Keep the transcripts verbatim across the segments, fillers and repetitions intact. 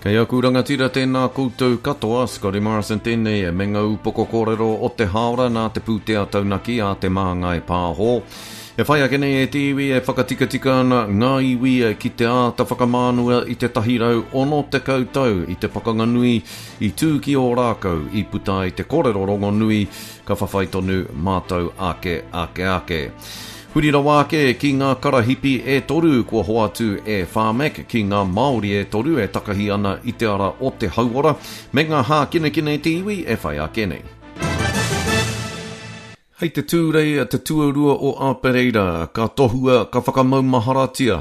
Kei aku rangatira tēnā koutou katoa, Scotty Morrison tēnei me ngā upoko kōrero o te hāora nā te pūtea taunaki a Te Māngai Pāho. E whai ake nei e te iwi e whakatikatika ana ngā iwi ki te āta whakamānua i te tahi rau ono tekau tau i te pakanga nui i tū ki Ōrākau i puta ai te kōrero rongonui ka whawhai tonu mātou ake ake ake. Huri rawa ake ki ngā karahipi e toru kua hoatu e Pharmac ki ngā Māori e toru e takahi ana i te ara o te hauora me ngā hākinakina te iwi e whai ake nei. Hei te Tūrei te tuarua o Apereira, ka tohua, ka whakamaumaharatia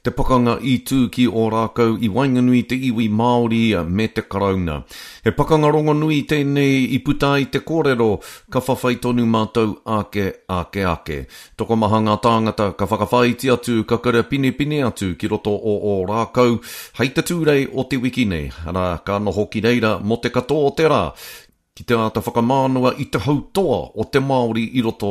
te pakanga i tū ki Ōrākau i waenganui te iwi Māori me te Karauna. He pakanga rongonui tēnei i puta ai te kōrero, ka whawhai tonu mātou ake, ake, ake. Tokomaha ngā tāngata ka whakawhāiti atu, ka karapinepine atu ki roto o Ōrākau hei te Tūrei o te wiki nei, arā, ka noho ki reira mō te katoa o te rā, ki te āta whakamānawa i te hautoa o te Māori i roto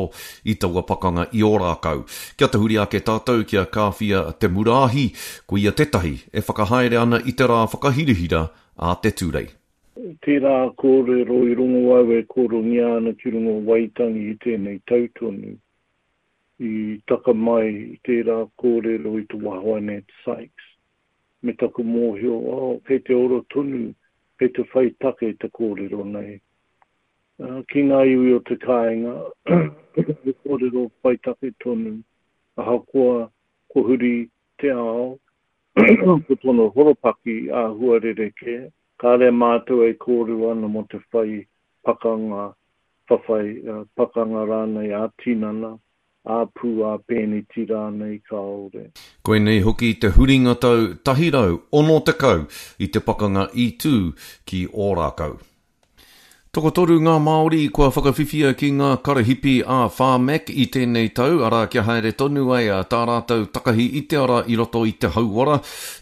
i taua pakanga i Ōrākau. Kia tahuri ake tātou kia Kāwhia Te Muraahi, ko ia tētahi e whakahaere ana i te rā whakahirahira a te Tūrei. Tērā kōrero i rongo au e kōrongia ana ki runga o Waitangi i tēnei tau tonu. I taka mai i tērā kōrero i te waha o Nat Sykes. Me taku mōhio, oh, kei te ora tonu, kei te whai take te kōrero nei. Ki ngā iwi o te kāinga, he kōrero whai take tonu, ahakoa ko huri te ao, ko tōna horopaki āhua rerekē, kāre mātou e kōrero ana mō te whai pakanga, whawhai pakanga rānei ā-tinana, ā-pū, ā-pēneti rānei kāore. Koinei hoki te huringa tau tahi rau ono tekau i te pakanga i tū ki Ōrākau. Tokotoru ngā Māori kua whakawhiwhia ki ngā karahipi a Pharmac i tēnei tau, arā kia haere tonu ai tā rātou takahi i te ara i roto i te hauora,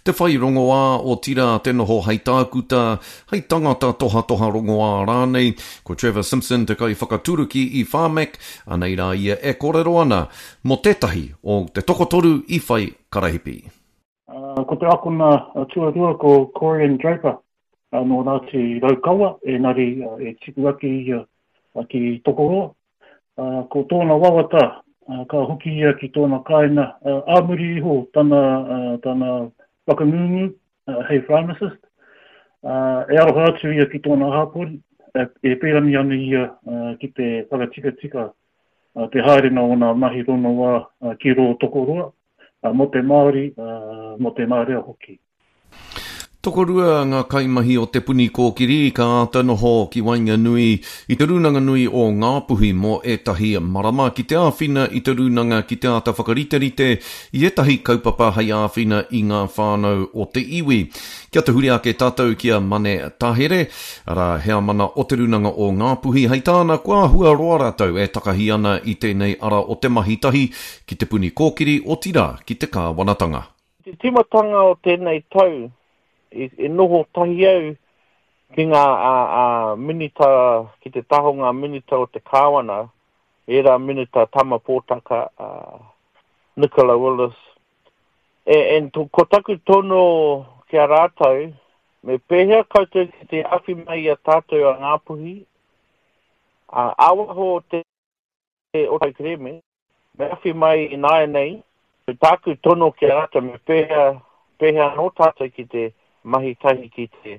te whai rongoā otirā te noho hei tākuta, hei tangata tohatoha rongoā rānei. Ko Trevor Simpson te kaiwhakaturuki i Pharmac, anei rā ia e kōrero ana mō tētahi o te tokotoru i whai karahipi. Ko te akona tuarua ko Corian Draper, nō Ngāti Raukawa, engari e tipu ake ia ki Tokoroa. Ko tōna wawata, ka hoki ia ki tōna kāinga ā muri iho tana, tana whakangungu hei pharmacist. E aroha atu ia ki tōna hapori, e pērani ana ia ki te whakatikatika te haerenga o ngā mahi rongoā ki rō Tokoroa, mō te Māori, mō te marea hoki. Tokorua ngā kaimahi o Te Puni Kōkiri ka āta noho ki waenganui i te rūnanga nui o Ngāpuhi mō ētahi marama ki te āwhina i te rūnanga ki te āta whakariterite i ētahi kaupapa hei āwhina i ngā whānau o te iwi. Kia tahuri ake tātou ki a Mane Tahere, arā heamana o te rūnanga o Ngāpuhi, hei tāna kua āhua roa rātou e takahi ana i tēnei ara o te mahi tahi ki Te Puni Kōkiri, otirā ki te kāwanatanga. Te tīmatanga o tēnei tau, i noho tahi au ki ngā minita, ki te taha o ngā minita o te kāwana, ērā minita Tama Pōtaka, Nicola Willis. And ko taku tono ki a rātou, me pēhea koutou ki te awhi mai i a tātou a Ngāpuhi, ā-waho o te o te kerēme, me awhi mai ināianei, ko tāku tono ki a rātou, me pēhea, pēhea anō tātou ki te mahi tahi ki te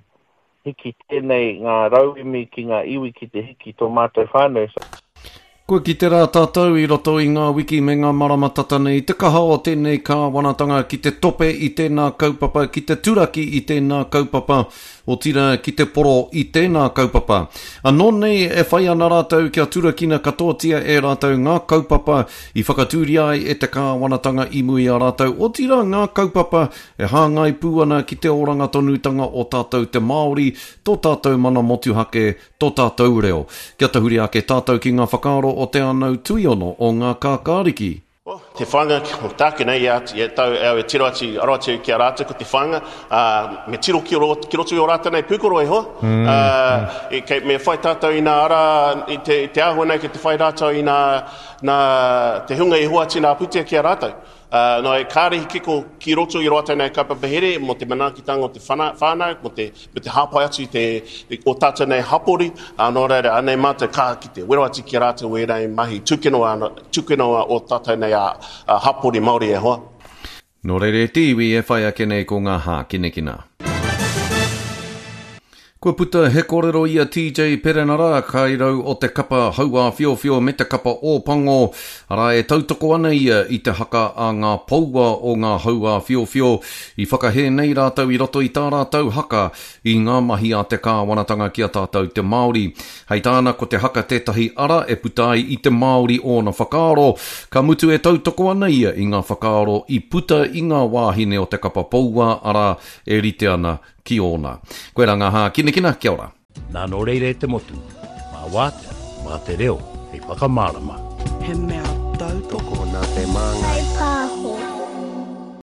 hiki tēnei ngā rauemi ki ngā iwi ki te hiki tō mātou whānau. Kua kite rā tātou i roto i ngā wiki me ngā marama tata nei te kaha o tēnei kāwanatanga ki te tope i tēnā kaupapa, ki te turaki i tēnā kaupapa, otirā ki te poro i tēnā kaupapa. Anō nei e whai ana rātou kia turakina katoatia e rātou ngā kaupapa i whakatūria ai e te kāwanatanga i mua i a rātou, otirā ngā kaupapa e hāngai pū ana ki te oranga tonutanga o tātou te Māori, tō tātou mana motuhake, tō tātou reo. Kia tahuri ake tātou ki ngā whakaaro o te anau tuiono o ngā kākāriki. Oh, te whāinga, o tāku nei, ia, ia tau, au e tiro atu, aro atu ki a rātou ko te whāinga, ā, me tiro ki ro, ki roto i o rātou nei pūkoro e hoa. Mm, ā, mm. E, kei, me whai tātou i nā ara, i te, i te āhua nei, kei te whai rātou i nā, nā te hunga i hoatu nā pūtea ki a rātou. Uh, no, e kāre he kiko ki roto i rātou nei kaupapa here mō te manaakitanga o te whānau, mō te, me te hāpai atu i te, o tātou nei hapori, uh, nō reira, anei mātou kaha ki te wero atu ki a rātou ēnei mahi tūkino, tūkino o tātou nei a, a hapori Māori e hoa. Nō reira e te iwi e whai ake nei ko ngā hākinakina. Kua puta he kōrero i a T J Perenara, kairau o te kapa hauāwhiowhio me te kapa Ōpango, arā e tautoko ana ia i te haka a ngā poua o ngā hauāwhiowhio i whakahē nei rātou i roto i tā rātou haka i ngā mahi a te kāwanatanga ki a tātou te Māori. Hei tāna ko te haka tētahi ara e puta ai i te Māori ōna whakaaro, ka mutu e tautoko ana ia i ngā whakaaro i puta i ngā wāhine o te kapa poua, arā e rite ana ki ōna. Koe rā ngā hākinakina, kia ora. Nā nō reira e te motu, mā wātea, mā te reo, hei whakamārama. He mea tautoko Tokona te māngai.